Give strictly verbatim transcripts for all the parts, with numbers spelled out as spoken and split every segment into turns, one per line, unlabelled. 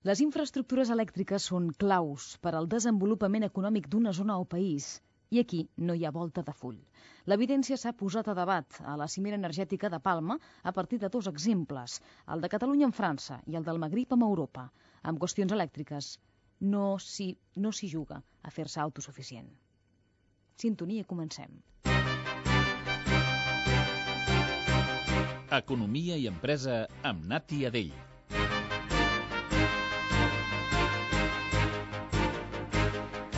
Les infraestructures elèctriques són claus per al desenvolupament econòmic d'una zona o país. I aquí no hi ha volta de full. L'evidència s'ha posat a debat a la cimera energètica de Palma a partir de dos exemples, el de Catalunya amb França i el del Magrib amb Europa. Amb qüestions elèctriques no s'hi no s'hi juga a fer-se autosuficient. Sintonia, comencem.
Economia i empresa amb Nati Adell.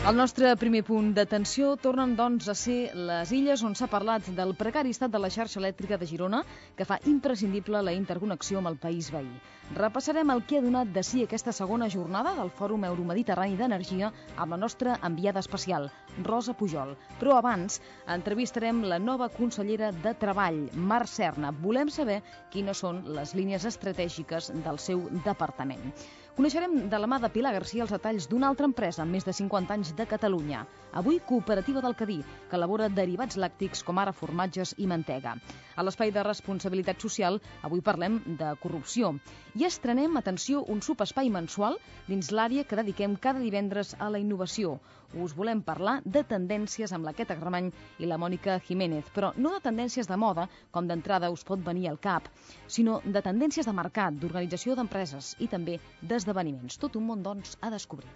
El nostre primer punt d'atenció tornen, doncs, a ser les illes on s'ha parlat del precari estat de la xarxa elèctrica de Girona, que fa imprescindible la interconnexió amb el país veí. Repassarem el que ha donat de si aquesta segona jornada del Fòrum Euromediterrani d'Energia amb la nostra enviada especial, Rosa Pujol. Però abans entrevistarem la nova consellera de Treball, Mar Serna. Volem saber quines són les línies estratègiques del seu departament. Coneixerem de la mà de Pilar Garcia els detalls d'una altra empresa amb més de cinquanta anys de Catalunya, avui Cooperativa del Cadí, que elabora derivats làctics com ara formatges i mantega. A l'espai de responsabilitat social, avui parlem de corrupció. I estrenem, atenció, un subespai mensual dins l'àrea que dediquem cada divendres a la innovació. Us volem parlar de tendències amb la Queta Gramany i la Mònica Jiménez, però no de tendències de moda, com d'entrada us pot venir al cap, sinó de tendències de mercat, d'organització d'empreses i també d'esdeveniments. Tot un món, doncs, a descobrir.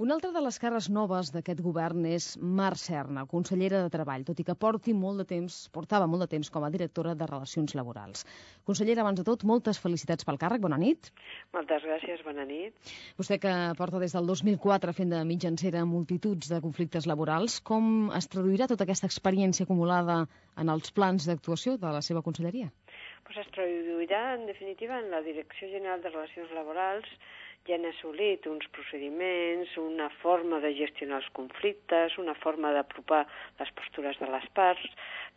Una altra de les cares noves d'aquest govern és Mar Serna, consellera de Treball, tot i que porti molt de temps, portava molt de temps com a directora de Relacions Laborals. Consellera, abans de tot, moltes felicitats pel càrrec. Bona nit.
Moltes gràcies, bona nit.
Vostè que porta des del dos mil quatre fent de mitjancera multituds de conflictes laborals, com es traduirà tota aquesta experiència acumulada en els plans d'actuació de la seva conselleria?
Pues es traduirà, en definitiva, en la Direcció General de Relacions Laborals. Ja han assolit uns procediments, una forma de gestionar els conflictes, una forma d'apropar les postures de les parts.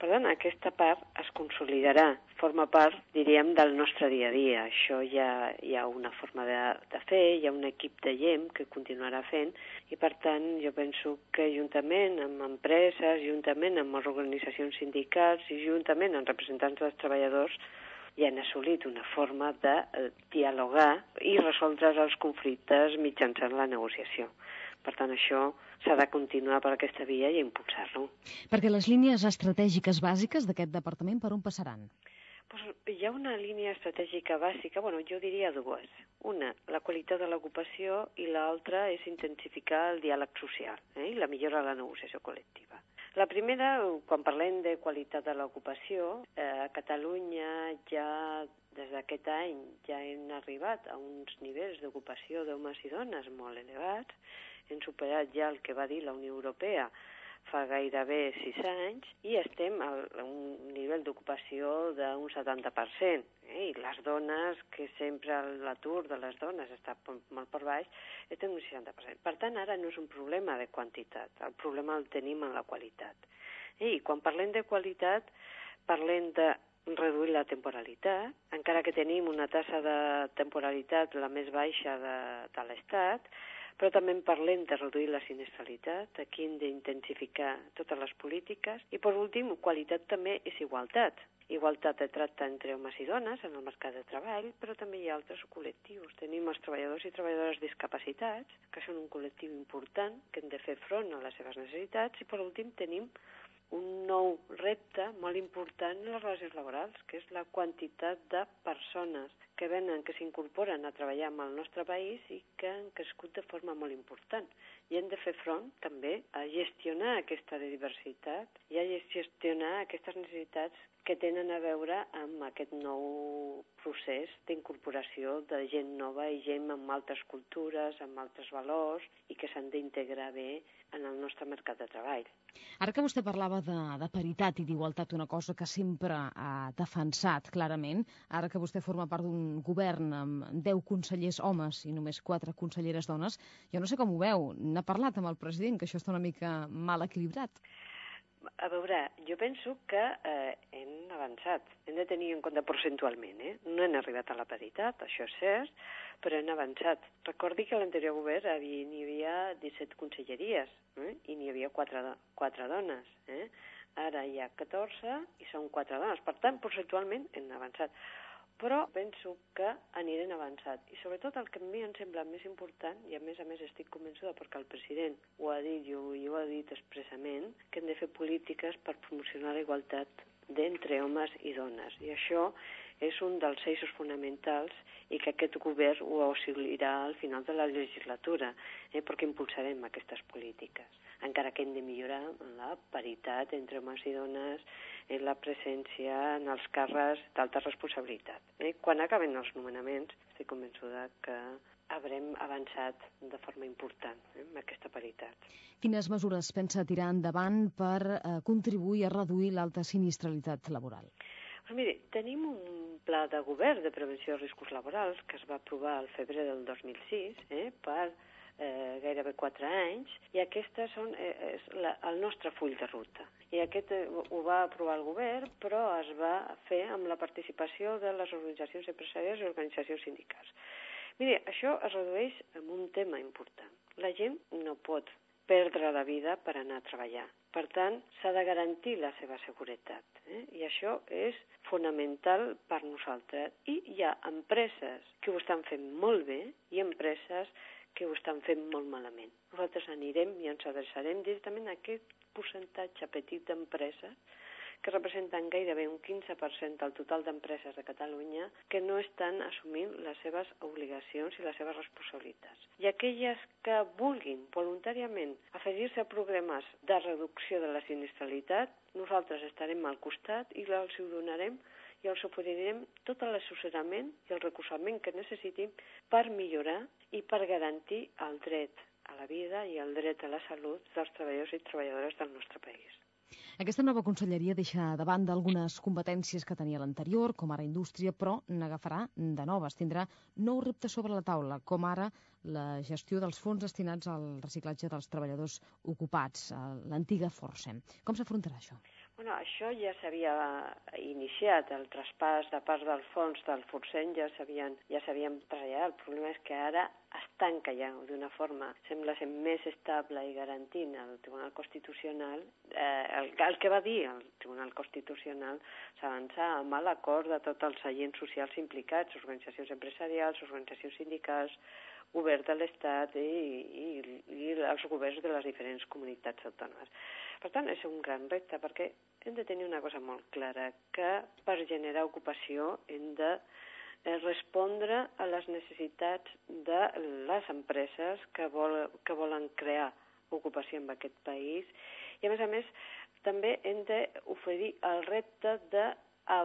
Per tant, aquesta part es consolidarà, forma part, diríem, del nostre dia a dia. Això ja hi ha una forma de, de fer, hi ha un equip de G E M que continuarà fent i, per tant, jo penso que juntament amb empreses, juntament amb les organitzacions sindicals i juntament amb representants dels treballadors, i han assolit una forma de dialogar i resoldre els conflictes mitjançant la negociació. Per tant, això s'ha de continuar per aquesta via i impulsar-lo.
Perquè les línies estratègiques bàsiques d'aquest departament per on passaran?
Pues hi ha una línia estratègica bàsica, bueno, jo diria dues. Una, la qualitat de l'ocupació, i l'altra és intensificar el diàleg social eh, i la millora de la negociació col·lectiva. La primera, quan parlem de qualitat de l'ocupació, eh, a Catalunya ja des d'aquest any ja hem arribat a uns nivells d'ocupació d'homes i dones molt elevats, hem superat ja el que va dir la Unió Europea fa gairebé sis anys i estem a un nivell d'ocupació d'un setanta per cent. Eh? I les dones, que sempre l'atur de les dones està molt per baix, estem un seixanta per cent. Per tant, ara no és un problema de quantitat, el problema el tenim en la qualitat. I quan parlem de qualitat, parlem de reduir la temporalitat, encara que tenim una tassa de temporalitat la més baixa de, de l'Estat, però també en parlem de reduir la sinistralitat, aquí hem d'intensificar totes les polítiques, i per últim, qualitat també és igualtat. Igualtat de tracte entre homes i dones en el mercat de treball, però també hi ha altres col·lectius. Tenim els treballadors i treballadores discapacitats, que són un col·lectiu important, que hem de fer front a les seves necessitats, i per últim tenim un nou repte molt important en les relacions laborals, que és la quantitat de persones que venen, que s'incorporen a treballar en el nostre país i que han crescut de forma molt important. I hem de fer front també a gestionar aquesta diversitat i a gestionar aquestes necessitats que tenen a veure amb aquest nou procés d'incorporació de gent nova i gent amb altres cultures, amb altres valors i que s'han d'integrar bé en el nostre mercat de treball.
Ara que vostè parlava de, de paritat i d'igualtat, una cosa que sempre ha defensat clarament, ara que vostè forma part d'un govern amb deu consellers homes i només quatre conselleres dones, jo no sé com ho veu, n'ha parlat amb el president, que això està una mica mal equilibrat.
A veure, jo penso que eh, hem avançat, hem de tenir en compte percentualment, eh? No hem arribat a la paritat, això és cert, però hem avançat. Recordi que a l'anterior govern havia, n'hi havia disset conselleries eh? I n'hi havia quatre, quatre dones. Eh? Ara hi ha catorze i són quatre dones. Per tant, percentualment hem avançat. Però penso que anirem avançant. I sobretot el que a mi em sembla més important, i a més a més estic convençuda perquè el president ho ha dit i ho, i ho ha dit expressament, que hem de fer polítiques per promocionar la igualtat d'entre homes i dones. I això és un dels eixos fonamentals i que aquest govern ho assolirà al final de la legislatura, eh, perquè impulsarem aquestes polítiques. Encara que hem de millorar en la paritat entre homes i dones, en la presència en els càrrecs d'alta responsabilitat. Eh? Quan acaben els nomenaments, estic convençuda que haurem avançat de forma important eh, amb aquesta paritat.
Quines mesures pensa tirar endavant per eh, contribuir a reduir l'alta sinistralitat laboral?
Pues miri, tenim un pla de govern de prevenció de riscos laborals que es va aprovar al febrer del dos mil sis eh, per eh, gairebé quatre anys, i aquestes són eh, és la, el nostre full de ruta. I aquest eh, ho va aprovar el govern, però es va fer amb la participació de les organitzacions empresarials i organitzacions sindicals. Miri, això es redueix en un tema important. La gent no pot perdre la vida per anar a treballar. Per tant, s'ha de garantir la seva seguretat. Eh? I això és fonamental per nosaltres. I hi ha empreses que ho estan fent molt bé i empreses que ho estan fent molt malament. Nosaltres anirem i ens adreçarem directament a aquest percentatge petit d'empreses que representen gairebé un quinze per cent del total d'empreses de Catalunya que no estan assumint les seves obligacions i les seves responsabilitats. I aquelles que vulguin voluntàriament afegir-se a programes de reducció de la sinistralitat, nosaltres estarem al costat i els ho donarem i els oferirem tot l'assessorament i el recolzament que necessitin per millorar i per garantir el dret a la vida i el dret a la salut dels treballadors i treballadores del nostre país.
Aquesta nova conselleria deixa de banda algunes competències que tenia l'anterior, com ara indústria, però n'agafarà de noves. Tindrà nous reptes sobre la taula, com ara la gestió dels fons destinats al reciclatge dels treballadors ocupats, l'antiga Forcem. Com s'afrontarà això?
Bueno, això ja s'havia iniciat, el traspàs de part del fons del Forcem ja s'havien ja s'havien traslladat. El problema és que ara es tanca ja d'una forma, sembla ser més estable i garantint el Tribunal Constitucional. Eh, el, el que va dir el Tribunal Constitucional s'avança amb l'acord de tots els agents socials implicats, organitzacions empresarials, organitzacions sindicals, govern de l'Estat i, i, i els governs de les diferents comunitats autònomes. Per tant, és un gran repte, perquè hem de tenir una cosa molt clara, que per generar ocupació hem de respondre a les necessitats de les empreses que, vol, que volen crear ocupació en aquest país, i a més a més també hem d'oferir el repte de a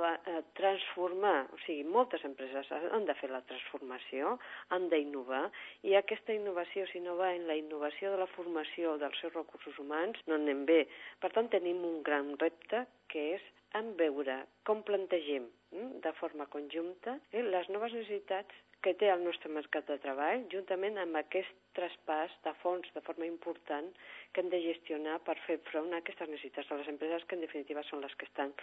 transformar, o sigui, moltes empreses han de fer la transformació, han d'innovar, i aquesta innovació, si no va en la innovació de la formació dels seus recursos humans, no anem bé. Per tant, tenim un gran repte, que és en veure com plantegem de forma conjunta les noves necessitats que té el nostre mercat de treball, juntament amb aquest traspàs de fons de forma important que hem de gestionar per fer front a aquestes necessitats de les empreses, que en definitiva són les que estan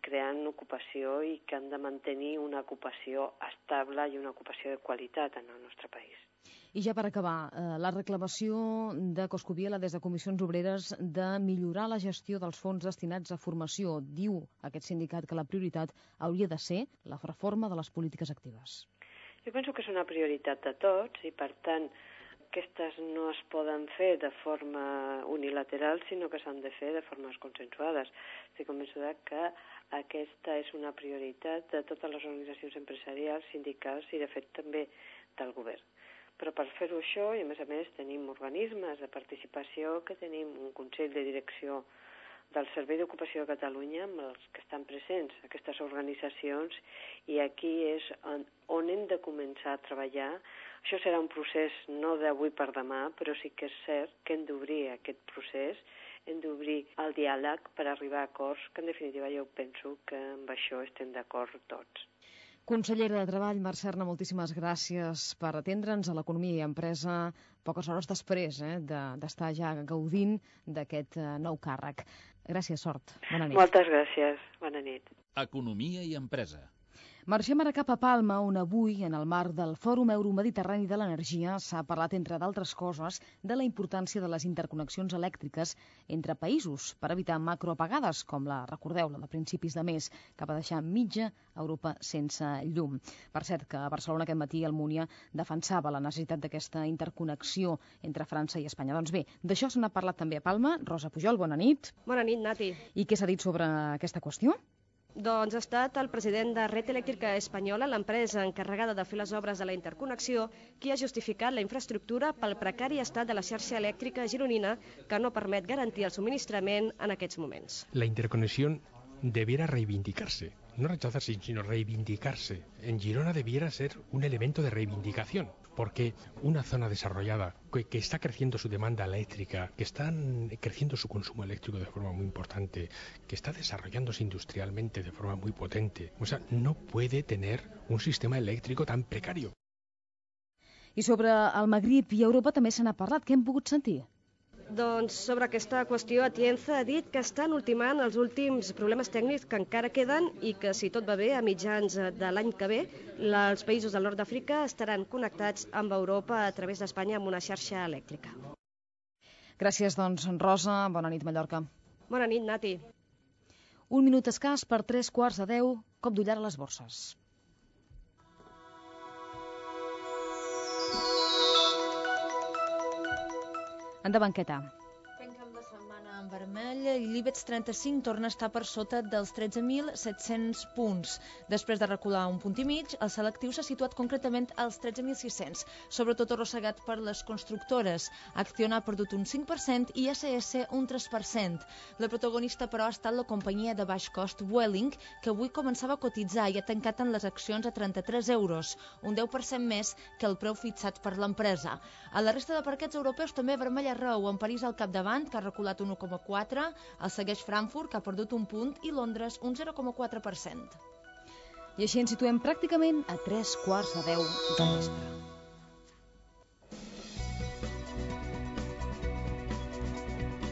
creant ocupació i que han de mantenir una ocupació estable i una ocupació de qualitat en el nostre país.
I ja per acabar, eh, la reclamació de Coscubiela des de Comissions Obreres de millorar la gestió dels fons destinats a formació. Diu aquest sindicat que la prioritat hauria de ser la reforma de les polítiques actives.
Jo penso que és una prioritat de tots i, per tant, aquestes no es poden fer de forma unilateral, sinó que s'han de fer de formes consensuades. Estic convençuda que aquesta és una prioritat de totes les organitzacions empresarials, sindicals i, de fet, també del govern. Però per fer-ho això, i a més a més tenim organismes de participació, que tenim un Consell de Direcció del Servei d'Ocupació de Catalunya, amb els que estan presents aquestes organitzacions, i aquí és on, on hem de començar a treballar. Això serà un procés no d'avui per demà, però sí que és cert que hem d'obrir aquest procés, hem d'obrir el diàleg per arribar a acords, que en definitiva jo penso que amb això estem d'acord tots.
Consellera de Treball, Mercè Arna, moltíssimes gràcies per atendre'ns a l'Economia i Empresa poques hores després eh, d'estar ja gaudint d'aquest eh, nou càrrec. Gràcies, sort. Bona nit.
Moltes gràcies. Bona nit.
Economia i Empresa.
Marxem ara cap a Palma, on avui, en el marc del Fòrum Euromediterrani de l'Energia, s'ha parlat, entre d'altres coses, de la importància de les interconnexions elèctriques entre països per evitar macroapagades, com la, recordeu, la de principis de mes, que va deixar mitja Europa sense llum. Per cert, que a Barcelona aquest matí Almúnia defensava la necessitat d'aquesta interconnexió entre França i Espanya. Doncs bé, d'això se n'ha parlat també a Palma. Rosa Pujol, bona nit.
Bona nit, Nati.
I què s'ha dit sobre aquesta qüestió?
Doncs ha estat el president de Red Eléctrica Espanyola, l'empresa encarregada de fer les obres de la interconnexió, qui ha justificat la infraestructura pel precari estat de la xarxa elèctrica gironina, que no permet garantir el subministrament en aquests moments.
La interconexión debiera reivindicarse, no rechazarse, sino reivindicarse. En Girona debiera ser un elemento de reivindicación, porque una zona desarrollada que, que está creciendo su demanda eléctrica, que está creciendo su consumo eléctrico de forma muy importante, que está desarrollándose industrialmente de forma muy potente, o sea, no puede tener un sistema eléctrico tan precario.
I sobre el Magrib i Europa també se n'ha parlat. Què hem pogut sentir?
Doncs sobre aquesta qüestió, Atienza ha dit que estan ultimant els últims problemes tècnics que encara queden i que, si tot va bé, a mitjans de l'any que ve, els països del nord d'Àfrica estaran connectats amb Europa a través d'Espanya amb una xarxa elèctrica.
Gràcies, doncs, Rosa. Bona nit, Mallorca.
Bona nit, Nati.
Un minut escàs per tres quarts de deu, cop d'ullar a les borses. Endavant, Queta.
Tanquem la setmana en vermell i l'IBEX trenta-cinc torna a estar per sota dels tretze mil set-cents punts. Després de recular un punt i mig, el selectiu s'ha situat concretament als tretze mil sis-cents, sobretot arrossegat per les constructores. Acciona ha perdut un cinc per cent i A C S un tres per cent. La protagonista, però, ha estat la companyia de baix cost Vueling, que avui començava a cotitzar i ha tancat en les accions a trenta-tres euros, un deu per cent més que el preu fixat per l'empresa. A la resta de parquets europeus també vermell arreu, amb París al capdavant, que ha reculat un u coma quatre, el segueix Frankfurt, que ha perdut un punt, i Londres un zero coma quatre per cent.
I així ens situem pràcticament a tres quarts de deu de vespre.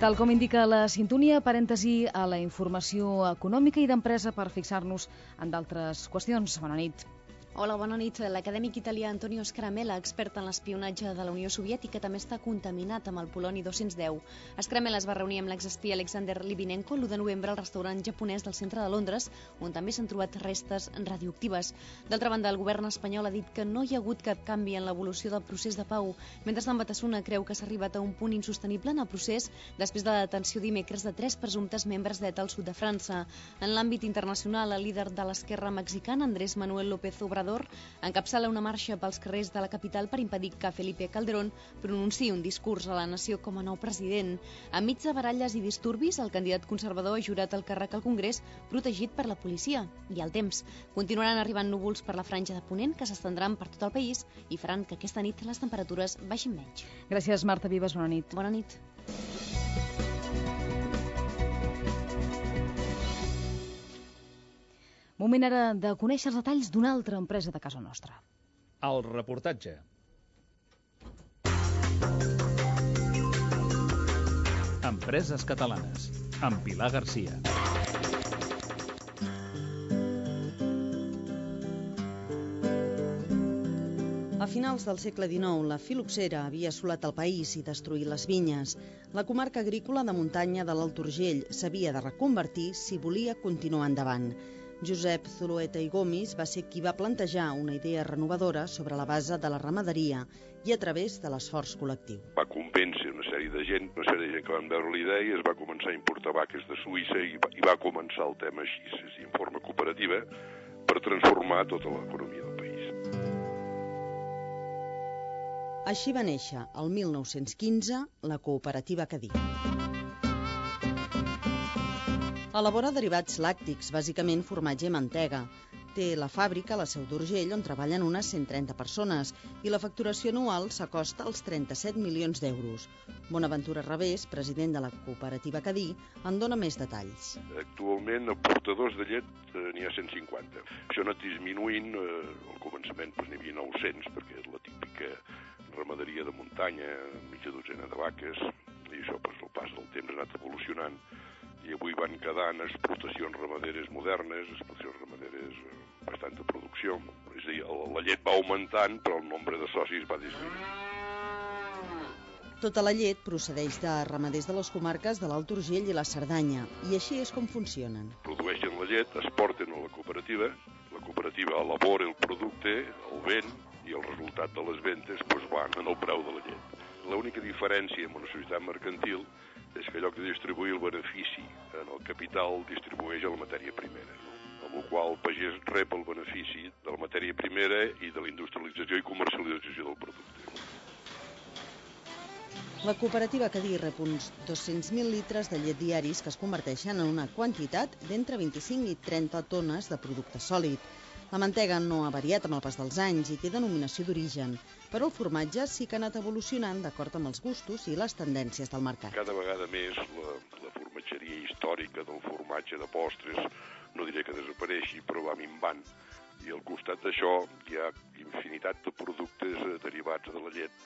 Tal com indica la sintonia, parèntesi a la informació econòmica i d'empresa per fixar-nos en d'altres qüestions. Bona nit.
Hola, bona nit. L'acadèmic italià Antonio Scramella, expert en l'espionatge de la Unió Soviètica, també està contaminat amb el poloni dos-cents deu. Scramella es va reunir amb l'exespia Alexander Litvinenko l'u de novembre al restaurant japonès del centre de Londres, on també s'han trobat restes radioactives. D'altra banda, el govern espanyol ha dit que no hi ha hagut cap canvi en l'evolució del procés de pau. Mentrestant, Batasuna creu que s'ha arribat a un punt insostenible en el procés després de la detenció dimecres de tres presumptes membres d'E T A al sud de França. En l'àmbit internacional, el líder de l'esquerra mexicana, Andrés Manuel López Obrador, encapçala una marxa pels carrers de la capital per impedir que Felipe Calderón pronunciï un discurs a la nació com a nou president. Enmig de baralles i disturbis, el candidat conservador ha jurat el càrrec al Congrés protegit per la policia. I el temps. Continuaran arribant núvols per la franja de Ponent que s'estendran per tot el país i faran que aquesta nit les temperatures baixin menys.
Gràcies, Marta Vives. Bona nit.
Bona nit.
Moment ara de conèixer els detalls d'una altra empresa de casa nostra.
El reportatge. Empreses catalanes, amb Pilar Garcia.
A finals del segle dinou, la filoxera havia assolat el país i destruït les vinyes. La comarca agrícola de muntanya de l'Alt Urgell s'havia de reconvertir si volia continuar endavant. Josep Zulueta i Gomis va ser qui va plantejar una idea renovadora sobre la base de la ramaderia i a través de l'esforç col·lectiu.
Va convèncer una sèrie de gent, una sèrie de gent que van veure la idea i es va començar a importar vaques de Suïssa i va, i va començar el tema així, és en forma cooperativa, per transformar tota l'economia del país.
Així va néixer, el mil nou-cents quinze, la cooperativa Cadí. Elabora derivats làctics, bàsicament formatge i mantega. Té la fàbrica a la Seu d'Urgell, on treballen unes cent trenta persones, i la facturació anual s'acosta als trenta-set milions d'euros. Bonaventura Revés, president de la cooperativa Cadí, en dona més detalls.
Actualment, a portadors de llet eh, n'hi ha cent cinquanta. Això ha anat disminuint, eh, al començament doncs, n'hi havia nou-cents, perquè és la típica ramaderia de muntanya, mitja dotzena de vaques, i això per el pas del temps ha anat evolucionant i avui van quedant explotacions ramaderes modernes, explotacions ramaderes amb bastanta producció. És a dir, la llet va augmentant, però el nombre de socis va disminuint.
Tota la llet procedeix de ramaders de les comarques de l'Alt Urgell i la Cerdanya, i així és com funcionen.
Produeixen la llet, es porten a la cooperativa, la cooperativa elabora el producte, el ven, i el resultat de les ventes doncs, van en el preu de la llet. L'única diferència amb una societat mercantil és que en lloc de distribuir el benefici en el capital, distribueix a la matèria primera, no? Amb la qual el pagès rep el benefici de la matèria primera i de la industrialització i comercialització del producte.
La cooperativa Cadí rep uns dos-cents mil litres de llet diaris que es converteixen en una quantitat d'entre vint-i-cinc i trenta tones de producte sòlid. La mantega no ha variat amb el pas dels anys i té denominació d'origen, però el formatge sí que ha anat evolucionant d'acord amb els gustos i les tendències del mercat.
Cada vegada més la, la formatgeria històrica del formatge de postres, no diré que desapareixi, però va minvant. I al costat d'això hi ha infinitat de productes derivats de la llet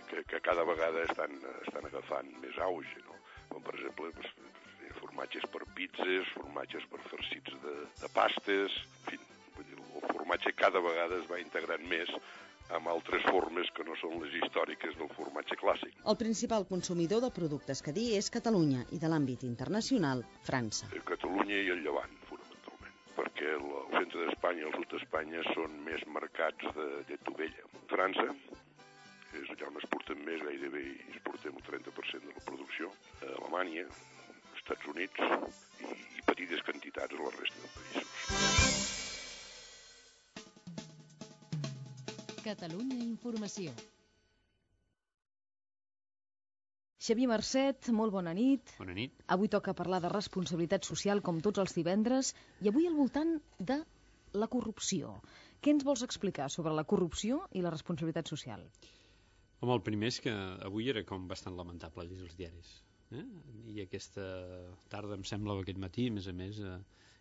que, que cada vegada estan, estan agafant més auge, no? Com per exemple, pues, formatges per pizzas, formatges per farcits de, de pastes, en fi, vull dir, el formatge cada vegada es va integrant més amb altres formes que no són les històriques del formatge clàssic.
El principal consumidor de productes Cadí és Catalunya i de l'àmbit internacional, França.
Catalunya i el Llevant, fonamentalment, perquè el centre d'Espanya i el sud d'Espanya són més mercats de llet d'ovella. França és allà on exportem més, gairebé exportem el trenta per cent de la producció, a Alemanya, Estats Units i, i petites quantitats a la resta de països.
Catalunya Informació.
Xavier Marcet, molt bona nit.
Bona nit.
Avui toca parlar de responsabilitat social com tots els divendres i avui al voltant de la corrupció. Què ens vols explicar sobre la corrupció i la responsabilitat social?
Home, el primer és que avui era com bastant lamentable llegir els diaris. Eh? I aquesta tarda, em sembla, aquest matí, a més a més, eh,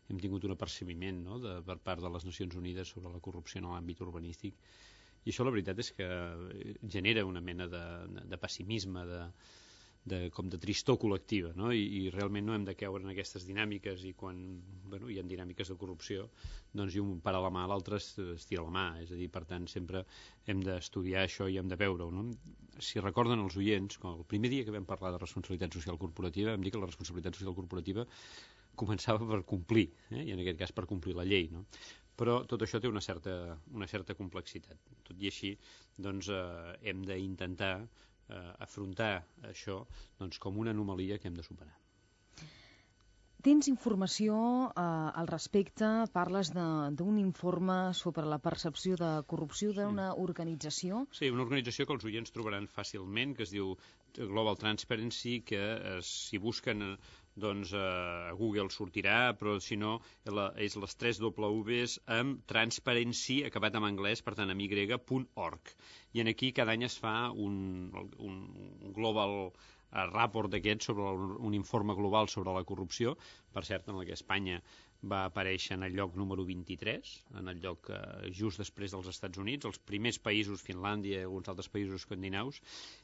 hem tingut un apercebiment, no?, de, per part de les Nacions Unides sobre la corrupció en l'àmbit urbanístic. I això la veritat és que genera una mena de, de pessimisme, de, de, com de tristor col·lectiva, no? I, i realment no hem de caure en aquestes dinàmiques i quan bueno, hi ha dinàmiques de corrupció, doncs i un para la mà, l'altre es, es tira la mà. És a dir, per tant, sempre hem d'estudiar això i hem de veure-ho, no? Si recorden els oients, el primer dia que vam parlar de responsabilitat social corporativa, vam dir que la responsabilitat social corporativa començava per complir, eh? I en aquest cas per complir la llei, no? Però tot això té una certa, una certa complexitat. Tot i així, doncs, eh, hem d'intentar eh, afrontar això doncs, com una anomalia que hem de superar.
Tens informació eh, al respecte, parles d'un informe sobre la percepció de corrupció d'una organització?
Sí, una organització que els oients trobaran fàcilment, que es diu Global Transparency, que eh, si busquen doncs a Google sortirà, però si no és les tres W's amb Transparency, acabat en anglès, per tant amb y punt org. I aquí cada any es fa un, un, un global rapport d'aquest, sobre un informe global sobre la corrupció, per cert, en el que Espanya va aparèixer en el lloc número vint-i-tres, en el lloc eh, just després dels Estats Units, els primers països, Finlàndia i alguns altres països escandinaus.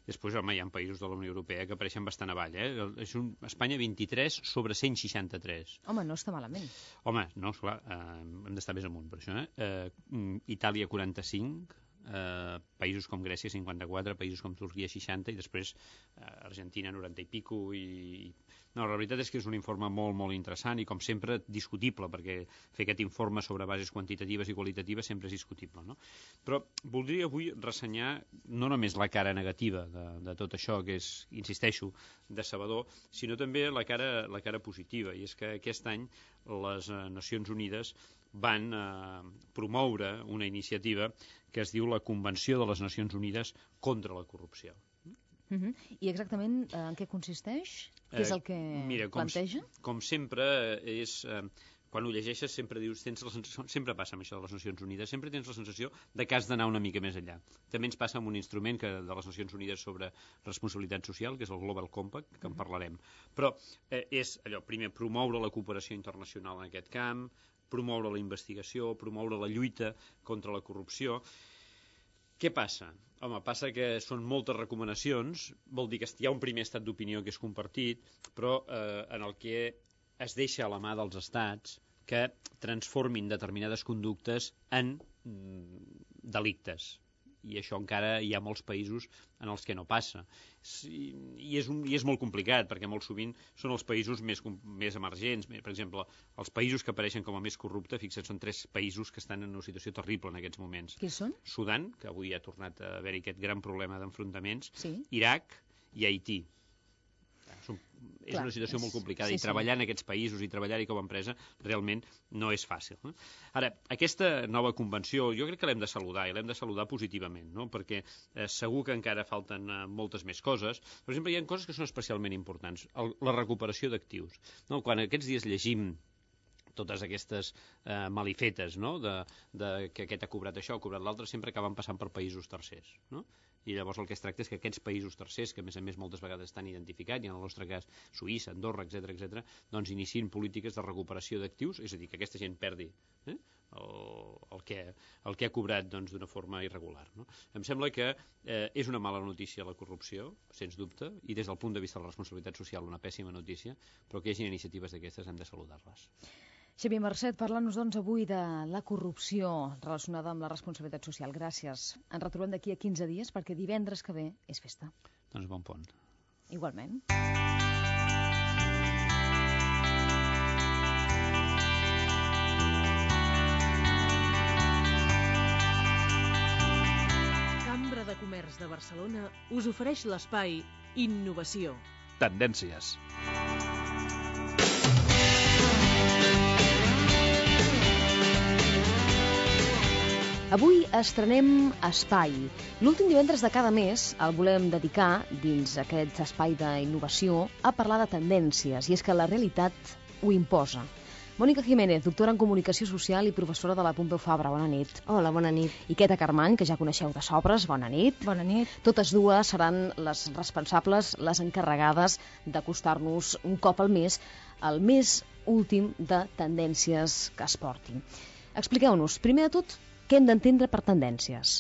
Després, home, hi ha països de la Unió Europea que apareixen bastant avall, eh? És un Espanya vint-i-tres sobre cent seixanta-tres.
Home, no està malament.
Home, no, esclar, eh, hem d'estar més amunt per això, eh? eh Itàlia quaranta-cinc, eh, països com Grècia cinquanta-quatre, països com Turquia seixanta i després eh, Argentina noranta i pico i... No, la veritat és que és un informe molt, molt interessant i com sempre discutible, perquè fer aquest informe sobre bases quantitatives i qualitatives sempre és discutible, no? Però voldria avui ressenyar no només la cara negativa de, de tot això, que és, insisteixo, decebedor, sinó també la cara, la cara positiva, i és que aquest any les Nacions Unides van eh, promoure una iniciativa que es diu la Convenció de les Nacions Unides contra la Corrupció.
Uh-huh. I exactament eh, en què consisteix? Què és el que
eh, mira, com,
planteja?
Com sempre, és, eh, quan ho llegeixes sempre dius, tens la sensació, sempre passa amb això de les Nacions Unides, sempre tens la sensació de que has d'anar una mica més enllà. També ens passa amb un instrument que, de les Nacions Unides sobre responsabilitat social, que és el Global Compact, que en parlarem. Però eh, és allò, primer, promoure la cooperació internacional en aquest camp, promoure la investigació, promoure la lluita contra la corrupció. Què passa? home, passa que són moltes recomanacions, vol dir que hi ha un primer estat d'opinió que és compartit, però eh, en el que es deixa a la mà dels estats que transformin determinades conductes en mm, delictes. I això encara hi ha molts països en els que no passa. I és, un, i és molt complicat, perquè molt sovint són els països més, més emergents. Per exemple, els països que apareixen com a més corruptes, fixa't, són tres països que estan en una situació terrible en aquests moments.
Qui són?
Sudan, que avui ha tornat a haver-hi aquest gran problema d'enfrontaments,
sí. Iraq
i Haití. Són, és Clar, una situació és, molt complicada sí, i treballar sí. en aquests països i treballar-hi com a empresa realment no és fàcil. No? Ara, aquesta nova convenció jo crec que l'hem de saludar i l'hem de saludar positivament, no? Perquè eh, segur que encara falten eh, moltes més coses. Per exemple, hi ha coses que són especialment importants. El, la recuperació d'actius. No? Quan aquests dies llegim totes aquestes eh, malifetes, no? de, de que aquest ha cobrat això, ha cobrat l'altre, sempre acaben passant per països tercers, no? I llavors el que es tracta és que aquests països tercers, que a més a més moltes vegades estan identificats, i en el nostre cas Suïssa, Andorra, etcètera, etcètera, doncs iniciïn polítiques de recuperació d'actius, és a dir, que aquesta gent perdi eh, el, el, que, el que ha cobrat doncs, d'una forma irregular. No? Em sembla que eh, és una mala notícia la corrupció, sens dubte, i des del punt de vista de la responsabilitat social una pèssima notícia, però que hi hagi iniciatives d'aquestes hem de saludar-les.
Xavier Marcet, parlant-nos doncs avui de la corrupció relacionada amb la responsabilitat social. Gràcies. Ens retrobem d'aquí a quinze dies perquè divendres que ve és festa.
Doncs bon pont.
Igualment.
Cambra de Comerç de Barcelona us ofereix l'espai Innovació.
Tendències.
Avui estrenem Espai. L'últim divendres de cada mes el volem dedicar, dins aquest espai d'innovació, a parlar de tendències, i és que la realitat ho imposa. Mònica Jiménez, doctora en Comunicació Social i professora de la Pompeu Fabra. Bona nit.
Hola, bona nit.
I Queta Carmany, que ja coneixeu de sobres. Bona nit.
Bona nit.
Totes dues seran les responsables, les encarregades d'acostar-nos un cop al mes al més últim de tendències que es portin. Expliqueu-nos, primer de tot, què hem d'entendre per tendències?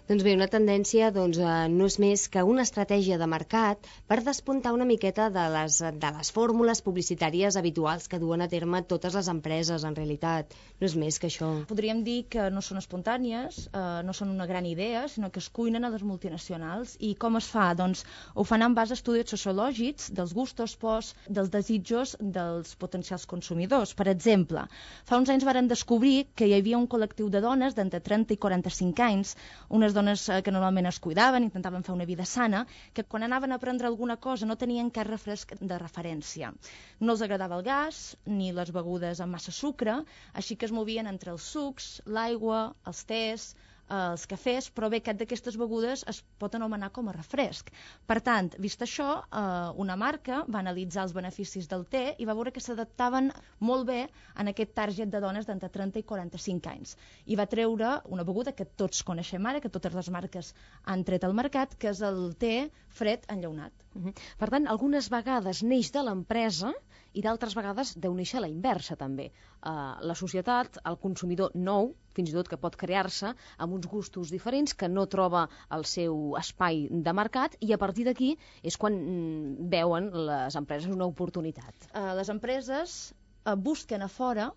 Doncs bé, una tendència doncs, eh, no és més que una estratègia de mercat per despuntar una miqueta de les, de les fórmules publicitàries habituals que duen a terme totes les empreses, en realitat. No és més que això.
Podríem dir que no són espontànies, eh, no són una gran idea, sinó que es cuinen a les multinacionals. I com es fa? Doncs ho fan en base a estudis sociològics dels gustos, pors, dels desitjos dels potencials consumidors. Per exemple, fa uns anys varen descobrir que hi havia un col·lectiu de dones d'entre trenta i quaranta-cinc anys, unes dones que normalment es cuidaven, intentaven fer una vida sana, que quan anaven a prendre alguna cosa no tenien cap refresc de referència. No els agradava el gas ni les begudes amb massa sucre, així que es movien entre els sucs, l'aigua, els tés, els cafès, però bé, cap d'aquestes begudes es pot anomenar com a refresc. Per tant, vist això, eh, una marca va analitzar els beneficis del te i va veure que s'adaptaven molt bé en aquest target de dones d'entre trenta i quaranta-cinc anys. I va treure una beguda que tots coneixem ara, que totes les marques han tret al mercat, que és el te fred enllaunat.
Uh-huh. Per tant, algunes vegades neix de l'empresa i d'altres vegades deu néixer a la inversa, també. Uh, la societat, el consumidor nou, fins i tot que pot crear-se amb uns gustos diferents, que no troba el seu espai de mercat, i a partir d'aquí és quan mm, veuen les empreses una oportunitat.
Uh, les empreses uh, busquen a fora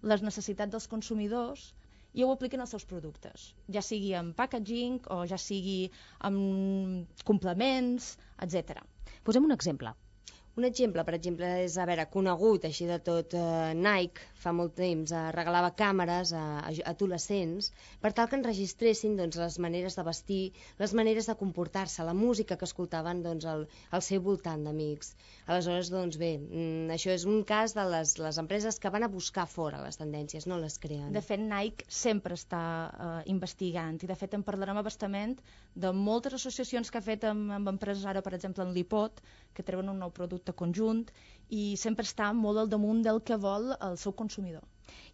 les necessitats dels consumidors i ho apliquen als seus productes, ja sigui amb packaging o ja sigui amb complements, etcètera.
Posem un exemple.
Un exemple, per exemple, és, a veure, conegut així de tot, eh, Nike fa molt temps eh, regalava càmeres a, a adolescents per tal que enregistressin doncs, les maneres de vestir, les maneres de comportar-se, la música que escoltaven doncs, al, al seu voltant d'amics. Aleshores, doncs bé, mm, això és un cas de les, les empreses que van a buscar fora les tendències, no les creen.
De fet, Nike sempre està eh, investigant, i de fet en parlarem abastament de moltes associacions que ha fet amb, amb empreses, ara per exemple en l'Ipod, que treuen un nou producte conjunt, i sempre està molt al damunt del que vol el seu consumidor.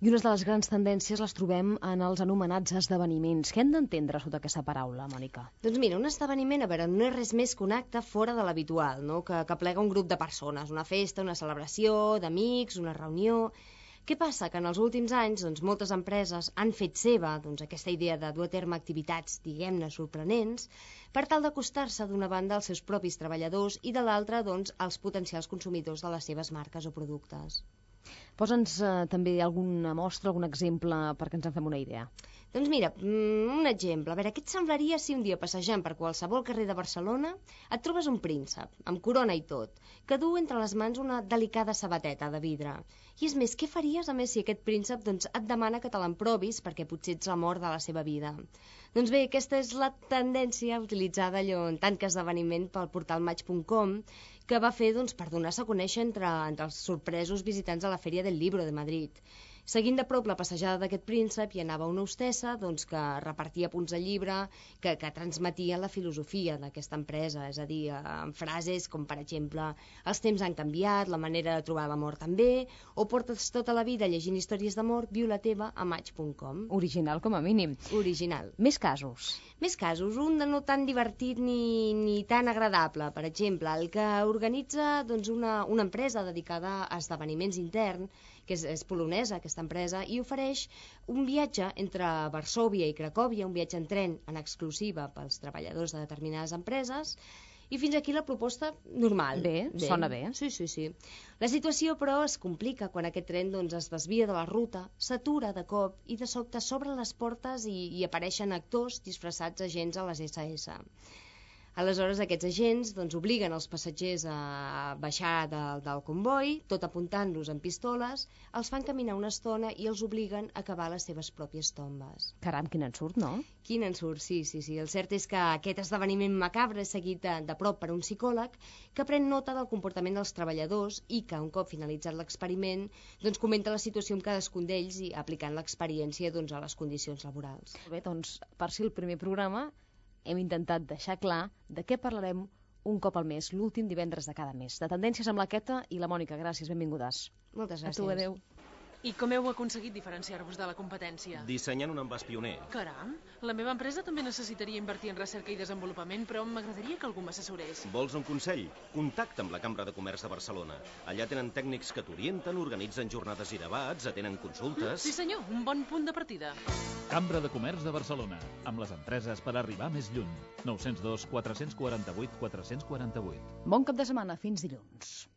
I unes de les grans tendències les trobem en els anomenats esdeveniments. Què hem d'entendre sota aquesta paraula, Mònica?
Doncs mira, un esdeveniment, a veure, no és res més que un acte fora de l'habitual, no? que, que plega un grup de persones, una festa, una celebració, d'amics, una reunió. Què passa? Que en els últims anys doncs, moltes empreses han fet seva doncs, aquesta idea de dur a terme activitats, diguem-ne, sorprenents, per tal d'acostar-se d'una banda als seus propis treballadors i de l'altra doncs, als potencials consumidors de les seves marques o productes.
Posa'ns eh, també alguna mostra, algun exemple perquè ens en fem una idea.
Doncs mira, un exemple. A veure, què et semblaria si un dia passejant per qualsevol carrer de Barcelona et trobes un príncep, amb corona i tot, que du entre les mans una delicada sabateta de vidre? I és més, què faries a més si aquest príncep doncs, et demana que te l'emprovis perquè potser ets l'amor de la seva vida? Doncs bé, aquesta és la tendència utilitzada allò en tant que esdeveniment pel portal Match punt com, que va fer doncs, per donar-se a conèixer entre, entre els sorpresos visitants a la Feria del Libro de Madrid. Seguint de prop la passejada d'aquest príncep hi anava una hostessa doncs, que repartia punts de llibre que, que transmetia la filosofia d'aquesta empresa, és a dir, amb frases com per exemple els temps han canviat, la manera de trobar l'amor també, o portes tota la vida llegint històries d'amor, viu la teva a Match punt com.
Original com a mínim.
Original.
Més casos.
Més casos, un de no tan divertit ni, ni tan agradable. Per exemple, el que organitza doncs, una, una empresa dedicada a esdeveniments interns, que és, és polonesa aquesta empresa, i ofereix un viatge entre Varsòvia i Cracòvia, un viatge en tren en exclusiva pels treballadors de determinades empreses, i fins aquí la proposta normal.
Bé, bé. Sona bé.
Sí, sí, sí. La situació, però, es complica quan aquest tren doncs, es desvia de la ruta, s'atura de cop i de sobte s'obren les portes i, i apareixen actors disfressats agents a les esse esse. Aleshores, aquests agents doncs, obliguen els passatgers a baixar de, del comboi, tot apuntant-los amb pistoles, els fan caminar una estona i els obliguen a cavar les seves pròpies tombes.
Caram, quin ensurt, no?
Quin ensurt, sí, sí, sí. El cert és que aquest esdeveniment macabre és seguit de, de prop per un psicòleg que pren nota del comportament dels treballadors i que, un cop finalitzat l'experiment, doncs, comenta la situació amb cadascun d'ells i aplicant l'experiència doncs, a les condicions laborals.
Bé, doncs, per si el primer programa hem intentat deixar clar de què parlarem un cop al mes, l'últim divendres de cada mes. De tendències amb la Queta i la Mònica. Gràcies, benvingudes.
Moltes gràcies.
A tu, adeu.
I com heu aconseguit diferenciar-vos de la competència?
Dissenyant un envàs pioner.
Caram, la meva empresa també necessitaria invertir en recerca i desenvolupament, però m'agradaria que algú m'assessorés.
Vols un consell? Contacta amb la Cambra de Comerç de Barcelona. Allà tenen tècnics que t'orienten, organitzen jornades i debats, atenen consultes...
Sí senyor, un bon punt de partida.
Cambra de Comerç de Barcelona, amb les empreses per arribar més lluny. nou zero dos, quatre quatre vuit, quatre quatre vuit.
Bon cap de setmana, fins dilluns.